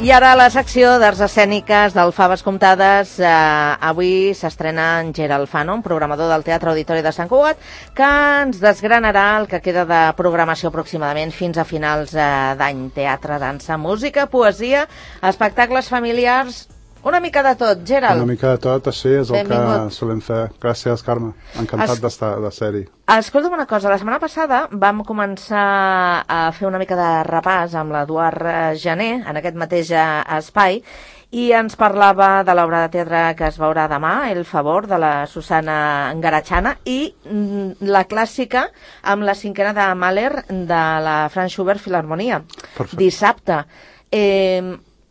I ara la secció d'arts escèniques del Faves Comptades. Avui s'estrena en Gerald Fanon, programador del Teatre Auditori de Sant Cugat, que ens desgranarà el que queda de programació aproximadament fins a finals d'any. Teatre, dansa, música, poesia, espectacles familiars, una mica de tot, Gerald. Una mica de tot, així és el que solem fer. Gràcies, Carme. Encantat de ser-hi. Escolta'm una cosa, la setmana passada vam començar a fer una mica de repàs amb l'Eduard Jané en aquest mateix espai i ens parlava de l'obra de teatre que es veurà demà, El favor, de la Susana Garachana, i la clàssica amb la cinquena de Mahler de la Franz Schubert Filharmonia. Perfecte. Dissabte.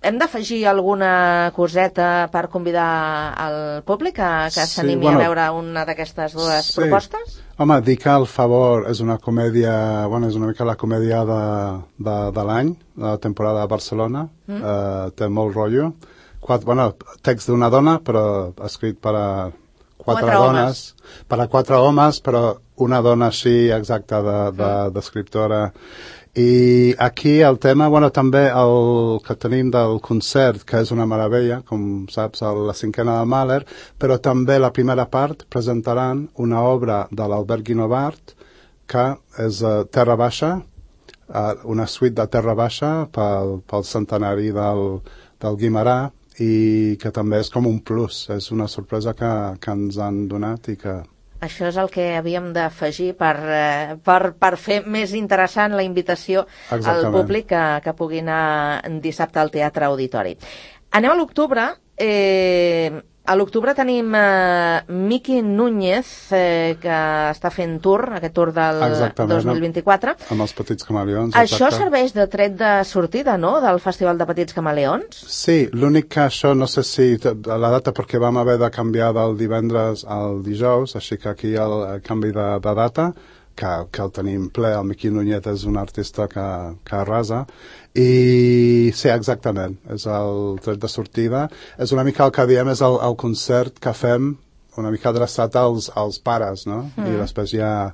Hem d'afegir alguna coseta per convidar el públic que s'animi a veure una d'aquestes dues propostes? Home, dir que El favor és una comèdia, és una mica la comèdia de l'any, de la temporada de Barcelona, té molt rotllo. Text d'una dona, però escrit per a quatre dones, per a quatre homes, però una dona així exacta d'escriptora. I aquí el tema, també el que tenim del concert, que és una meravella, com saps, la cinquena de Mahler, però també la primera part presentaran una obra de l'Albert Guinovart, que és Terra Baixa, una suite de Terra Baixa pel centenari del Guimerà, i que també és com un plus, és una sorpresa que ens han donat i que... Això és el que havíem d'afegir per fer més interessant la invitació al públic que pugui anar dissabte al Teatre Auditori. Anem a l'octubre. A l'octubre tenim Miqui Núñez, que està fent aquest tour del 2024. Amb els Petits Camaleons. Això serveix de tret de sortida, no?, del Festival de Petits Camaleons? Sí, l'únic que això, no sé si la data, perquè vam haver de canviar del divendres al dijous, així que aquí el canvi de data, que el tenim ple. El Miqui Núñez és un artista que arrasa. I sí, exactament, és el tret de sortida. És una mica el que diem, és el concert que fem una mica adreçat als pares, no? I després ja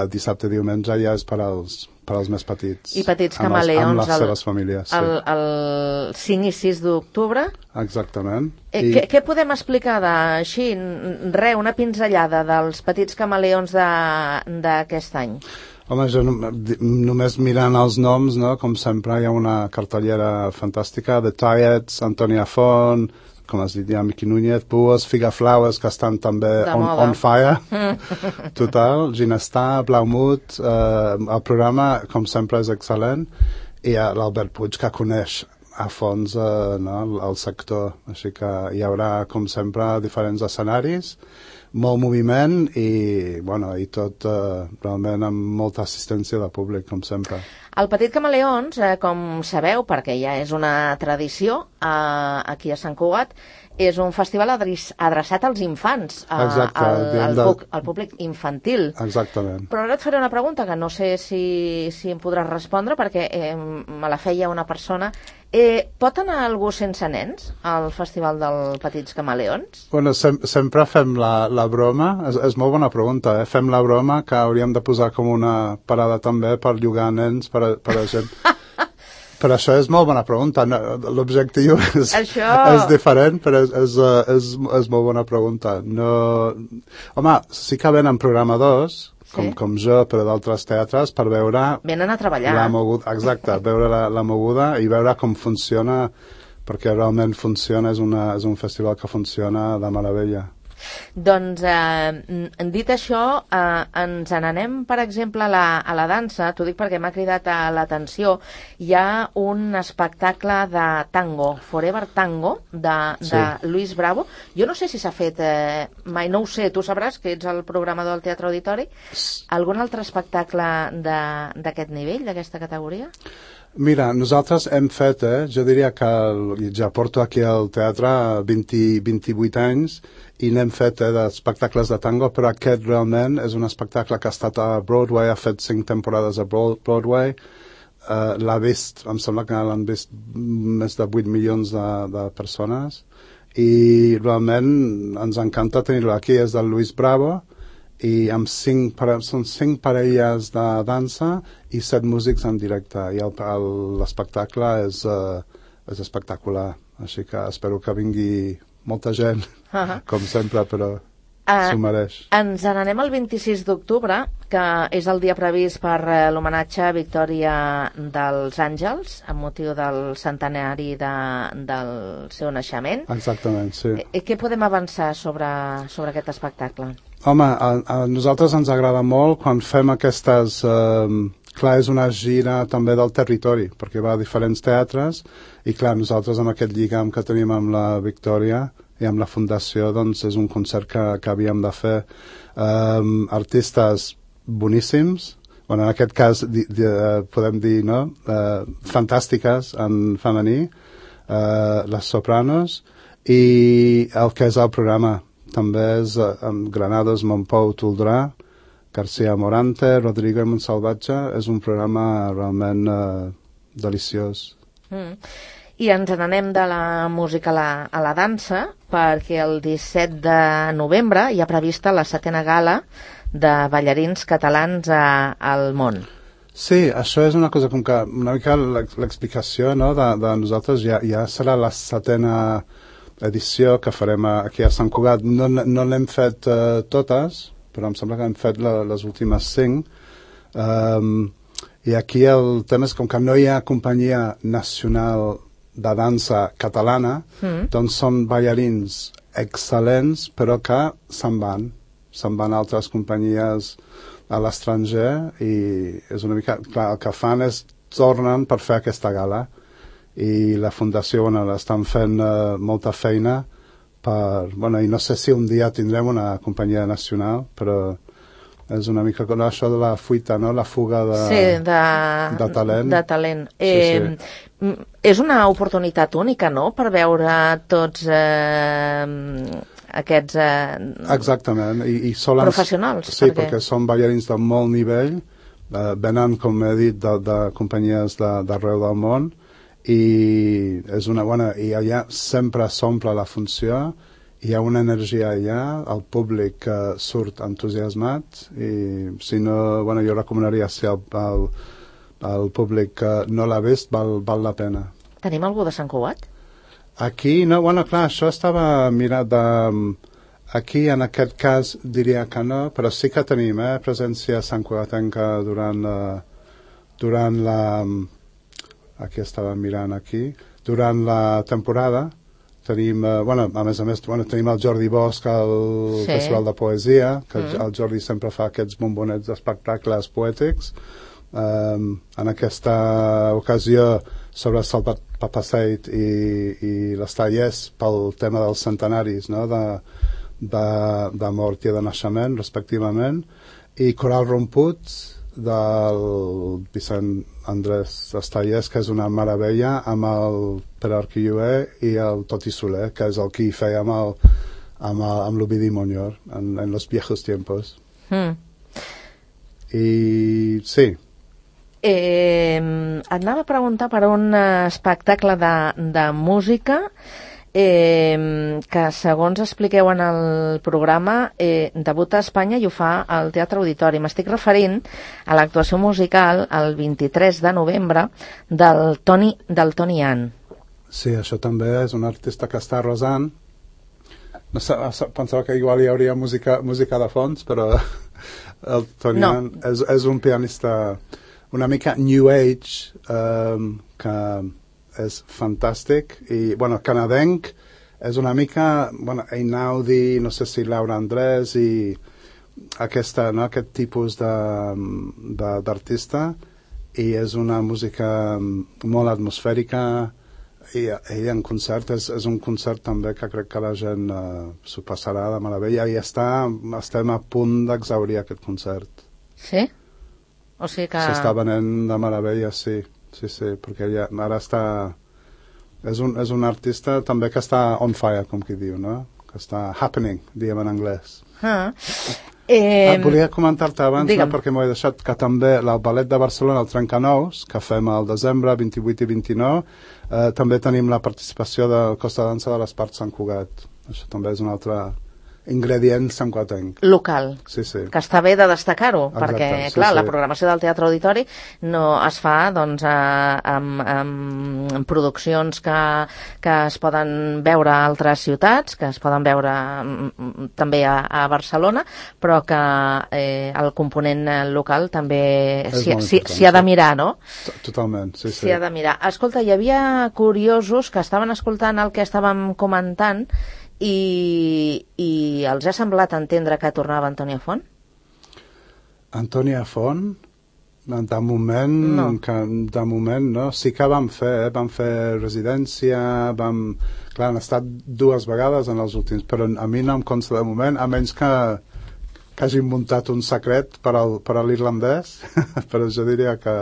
dissabte i diumenge ja és per als més petits. I Petits Camaleons amb les seves famílies, sí. El 5 i 6 d'octubre. Exactament. Què podem explicar així? Una pinzellada dels Petits Camaleons d'aquest any. Home, jo només mirant els noms, no? Com sempre, hi ha una cartellera fantàstica, The Tietz, Antònia Font, com has dit ja, Miqui Núñez, Buos, Figaflowers, que estan també on fire, total, Ginestar, Blaumut, el programa, com sempre, és excel·lent, i l'Albert Puig, que coneix a fons el sector, així que hi haurà, com sempre, diferents escenaris, molt moviment i tot realment amb molta assistència de públic, com sempre. El Petit Camaleons, com sabeu, perquè ja és una tradició aquí a Sant Cugat, és un festival adreçat als infants, al públic infantil. Exactament. Però ara et faré una pregunta que no sé si em podràs respondre, perquè me la feia una persona. Pot anar algú sense nens al Festival dels Petits Camaleons? Sempre fem la broma, és molt bona pregunta, fem la broma que hauríem de posar com una parada també per llogar nens per a gent. Però això és molt bona pregunta. L'objectiu és diferent, però és molt bona pregunta. Home, sí que venen programadors, com jo, però d'altres teatres, per veure... Venen a treballar. Exacte, veure la moguda i veure com funciona, perquè realment funciona, és un festival que funciona de meravella. Doncs, dit això, ens n'anem, per exemple, a la dansa. T'ho dic perquè m'ha cridat l'atenció. Hi ha un espectacle de tango, Forever Tango, de Luis Bravo. Jo no sé si s'ha fet mai, no ho sé, tu sabràs que ets el programador del Teatre Auditori. Algun altre espectacle d'aquest nivell, d'aquesta categoria? Mira, nosaltres hem fet, jo diria que ja porto aquí al teatre 28 anys i n'hem fet d'espectacles de tango, però aquest realment és un espectacle que ha estat a Broadway, ha fet 5 temporades a Broadway, l'ha vist, em sembla que l'han vist més de 8 milions de persones i realment ens encanta tenir-lo aquí. És del Luis Bravo i amb són 5 parelles de dansa i 7 músics en directe, i l'espectacle és és espectacular. Així que espero que vingui molta gent, com sempre, però s'ho mereix. Ens n'anem el 26 d'octubre, que és el dia previst per l'homenatge a Victòria dels Àngels, amb motiu del centenari del seu naixement. Exactament, sí. Què podem avançar sobre aquest espectacle? Home, a nosaltres ens agrada molt quan fem aquestes... clar, és una gira també del territori, perquè va a diferents teatres, i clar, nosaltres amb aquest lligam que tenim amb la Victòria i amb la Fundació, doncs és un concert que havíem de fer. Artistes boníssims, bueno, en aquest cas podem dir, no?, fantàstiques en femení, les sopranos, i el que és el programa també és Granados, Montpou, Toldrà, García Morante, Rodrigo i Montsalvatge. És un programa realment deliciós. I ens n'anem de la música a la dansa, perquè el 17 de novembre hi ha prevista la 7a gala de ballarins catalans al món. Sí, això és una cosa com que una mica l'explicació, no, de nosaltres ja serà la 7a edició que farem aquí a Sant Cugat. No l'hem fet totes, però em sembla que hem fet les últimes 5. I aquí el tema és com que no hi ha companyia nacional de dansa catalana, doncs són ballarins excel·lents, però que se'n van a altres companyies a l'estranger, i és una mica... Clar, el que fan és tornen per fer aquesta gala, i la Fundació, bueno, estan fent molta feina i no sé si un dia tindrem una companyia nacional, però és una mica com això de la fuita, no?, la fuga de talent. De talent. Sí. És una oportunitat única, no?, per veure tots aquests exactament. I solen, professionals. Sí, perquè són ballarins de molt nivell, venen, com he dit, de companyies d'arreu del món, i és una bona... I allà sempre s'omple la funció, hi ha una energia allà, el públic surt entusiasmat, i si no, jo recomanaria, si el públic no l'ha vist, val la pena. Tenim algú de Sant Cugat? Aquí, no, clar, això estava mirat aquí, en aquest cas, diria que no, però sí que tenim presència santcugatenca durant la... Aquí estava mirant durant la temporada. Tenim, a més, tenim el Jordi Bosch al Festival de Poesia, que el Jordi sempre fa aquests bombonets d'espectacles poètics. En aquesta ocasió, sobre el Salvat Papaseit i les talles pel tema dels centenaris, no?, de mort i de naixement, respectivament, i Coral Romput, del Vicent Andrés Estallés, que és una meravella, amb el Pere Arquilloé i el Toti Soler, que és el qui feia amb l'Ovidi Montllor en los viejos tiempos. I sí. Et anava a preguntar per un espectacle de música que, segons expliqueu en el programa, debuta a Espanya i ho fa al Teatre Auditori. M'estic referint a l'actuació musical el 23 de novembre del Toni Ann. Sí, això també és un artista que està arrasant. No sé, pensava que igual hi hauria música de fons, però el Toni Ann és un pianista una mica New Age, que és fantàstic, i, canadenc, és una mica, Einaudi, no sé si Laura Andrés, i aquest tipus d'artista, i és una música molt atmosfèrica, i en concert és un concert també que crec que la gent s'ho passarà de meravella, i estem a punt d'exaurir aquest concert. Sí? O sigui que... S'està venent de meravella, sí, perquè ara està... És un artista també que està on fire, com qui diu, no? Que està happening, diem en anglès. Volia comentar-te abans, perquè m'ho he deixat, que també el Ballet de Barcelona, el Trencanous, que fem al desembre 28 i 29, també tenim la participació del Costa Dansa de l'Espart Sant Cugat. Això també és una altra ingredients sempre que tinc. Local. Sí, sí. Que està bé de destacar-ho, perquè, sí, clar, sí. la programació del Teatre Auditori no es fa, doncs, amb produccions que es poden veure a altres ciutats, que es poden veure també a Barcelona, però que el component local també s'hi ha de mirar, no? Totalment, sí, sí. S'hi ha de mirar. Escolta, hi havia curiosos que estaven escoltant el que estàvem comentant i els ha semblat entendre que tornava Antònia Font? Antònia Font? De moment no. Sí que vam fer residència, clar, han estat 2 vegades en els últims, però a mi no em consta de moment, a menys que hagin muntat un secret per a l'irlandès, però jo diria que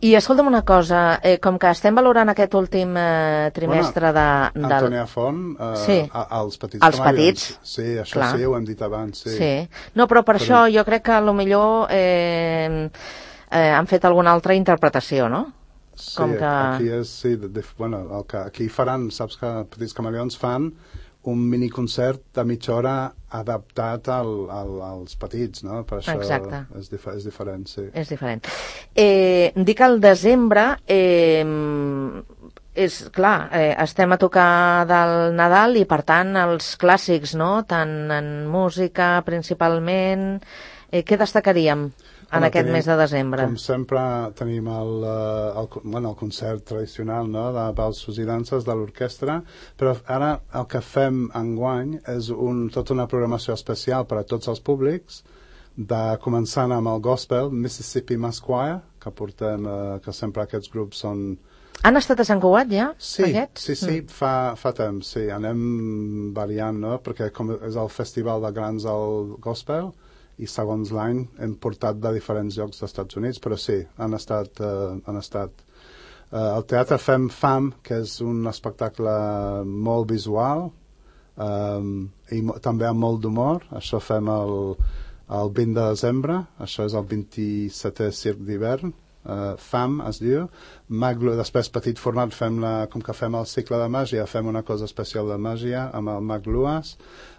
I escolta'm una cosa, com que estem valorant aquest últim trimestre Antònia Font, els petits els petits, sí, això clar. Sí, ho hem dit abans, sí. No, però per això jo crec que potser han fet alguna altra interpretació, no? Sí, aquí és, aquí faran, saps que Petits Camaleons fan un miniconcert de mitja hora adaptat als petits, no? Per això és diferent, sí. És diferent. Dic al desembre, és clar, estem a tocar del Nadal i per tant els clàssics, no? Tant en música principalment, què destacaríem en aquest mes de desembre? Com sempre tenim el concert tradicional, no? De balsos i danses de l'orquestra, però ara el que fem enguany és tota una programació especial per a tots els públics, començant amb el gospel, Mississippi Mass Choir, que portem, que sempre aquests grups són... Han estat a Sant Cugat ja, aquests? Sí, fa temps, sí, anem variant, no? Perquè com és el festival de grans del gospel, i segons l'any hem portat de diferents llocs dels Estats Units, però sí, han estat. Al teatre fem FAM, que és un espectacle molt visual i també amb molt d'humor. Això fem el 20 de desembre, això és el 27è Circ d'hivern. FAM es diu. Després, petit format, com que fem el cicle de màgia, fem una cosa especial de màgia amb el Mag Luas.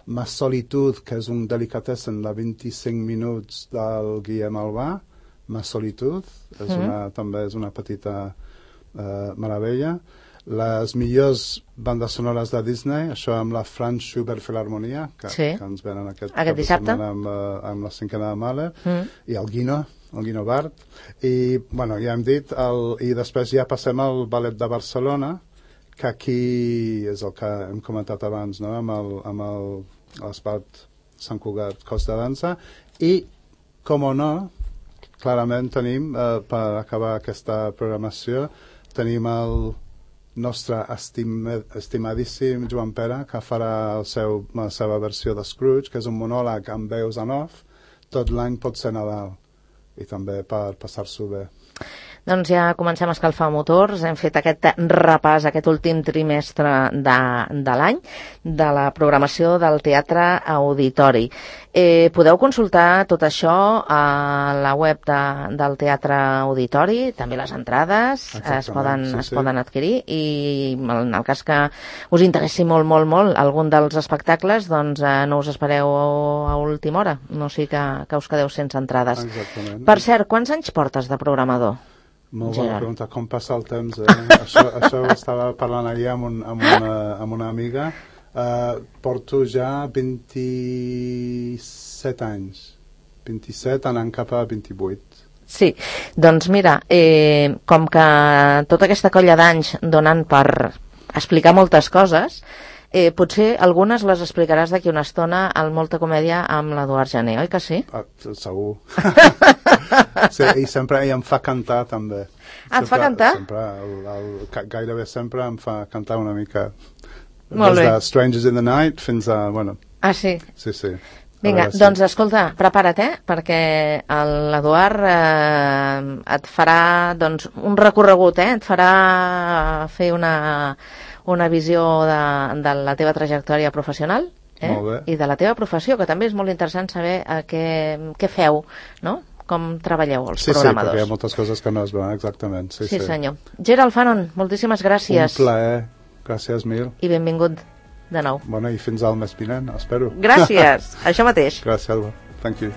Ma Solitud, que és un delicatessen de 25 minuts del Guillem Albà. Ma Solitud, també és una petita meravella. Les millors bandes sonores de Disney, això amb la Franz Schubert Filharmonia, que ens venen aquest dissabte amb la 5a de Mahler, i el Guino Bart, i ja hem dit, i després ja passem al Ballet de Barcelona, que aquí és el que hem comentat abans, no? amb l'Espart Sant Cugat Cos de Dansa, i, com o no, clarament tenim, per acabar aquesta programació, tenim el nostre estimadíssim Joan Pera, que farà la seva versió de Scrooge, que és un monòleg amb veus en off. Tot l'any pot ser Nadal, i també per passar-s'ho bé. Doncs ja comencem a escalfar motors, hem fet aquest repàs, aquest últim trimestre de l'any, de la programació del Teatre Auditori. Podeu consultar tot això a la web del Teatre Auditori, també les entrades es poden adquirir, i en el cas que us interessi molt algun dels espectacles, doncs no us espereu a última hora, no sigui que us quedeu sense entrades. Exactament. Per cert, quants anys portes de programador? Molt bona pregunta, com passa el temps, això ho estava parlant ahir amb una amiga. Porto ja 27 anys, 27 anant cap a 28. Sí, doncs mira, com que tota aquesta colla d'anys donen per explicar moltes coses, potser algunes les explicaràs d'aquí una estona al Molta Comèdia amb l'Eduard Jané, oi que sí? Segur. Sí, i sempre em fa cantar també. Et fa cantar? Gairebé sempre em fa cantar una mica. Molt bé. Des de Strangers in the Night fins a... Ah, sí? Sí. Vinga, doncs escolta, prepara't, perquè l'Eduard et farà un recorregut, et farà fer una visió de la teva trajectòria professional i de la teva professió, que també és molt interessant saber què feu, no? Com treballeu els programadors. Sí, perquè hi ha moltes coses que no es veuen, exactament. Sí, senyor. Gerald Fanon, moltíssimes gràcies. Un plaer, gràcies mil. I benvingut. de nou. Bueno, i fins al mes vinent, espero. Gràcies, això mateix. Gràcies, Alba. Thank you.